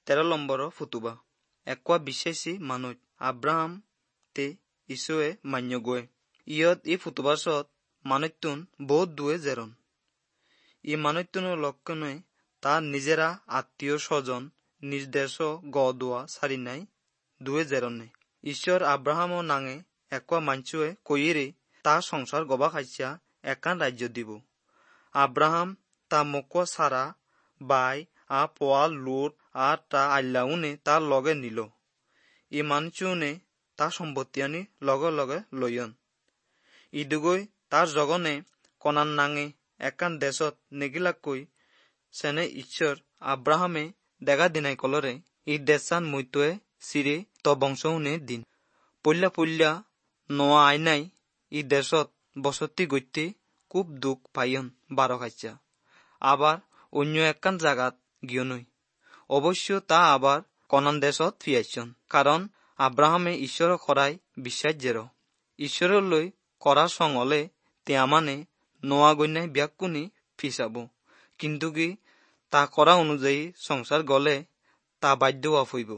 13 নম্বৰৰ ফুতুবা। একোৱা বিশ্বাসী মানুহ আব্ৰাহাম তে ঈশ্বৰে মান্য গৈ। ইয়ত ই ফুতুবাছত মানুহটোন বহুত দূৰে জেৰন। ই মানুহটোনৰ লক্ষণে তাৰ নিজেৰা আত্মীয় স্বজন নিজ দেশ গ দোৱা সাৰি নাই দুয়ে জেৰনে। ঈশ্বৰ আব্ৰাহামৰ নাঙে একোৱা মাঞ্চুৱে কৈৰে তাৰ সংসাৰ গবা খাইছা একান ৰাজ্য দিব। আব্ৰাহাম তা মকুয়া সারা বাই আ পোয়াল লুট আর তা আল্লাউনে তার লগে নিল। ই মানুষনে তার সম্পত্তি আনি লগে লগে লইয়ন। ইদুগৈ তার জগনে কনান নাঙে একান দেশত নেগিলাকৈ সেনে ঈশ্বর আব্রাহামে দেখা দিনাই কলরে ই দেশান মৈতয়ে চিরে ত বংশউনে দিন। পল্যা পল্যা নোয়া আইনাই ই দেশত বসতি গইতে খুব দুখ পাইয়ন বারো খাইছা। আবার অন্য একখান জাগাত গিয়নই। অবশ্য তা আবার কনান দেশত ফিয়াইছন, কারণ আব্রাহামে ঈশ্বর করাই বিশ্বাস জের। ঈশ্বরলৈ কৰা সঙলে মানে নোয়া গন্যায় ব্যাকুনি ফিসাব, কিন্তু কি তা কৰা অনুযায়ী সংসাৰ গলে তা বাধ্য হইব।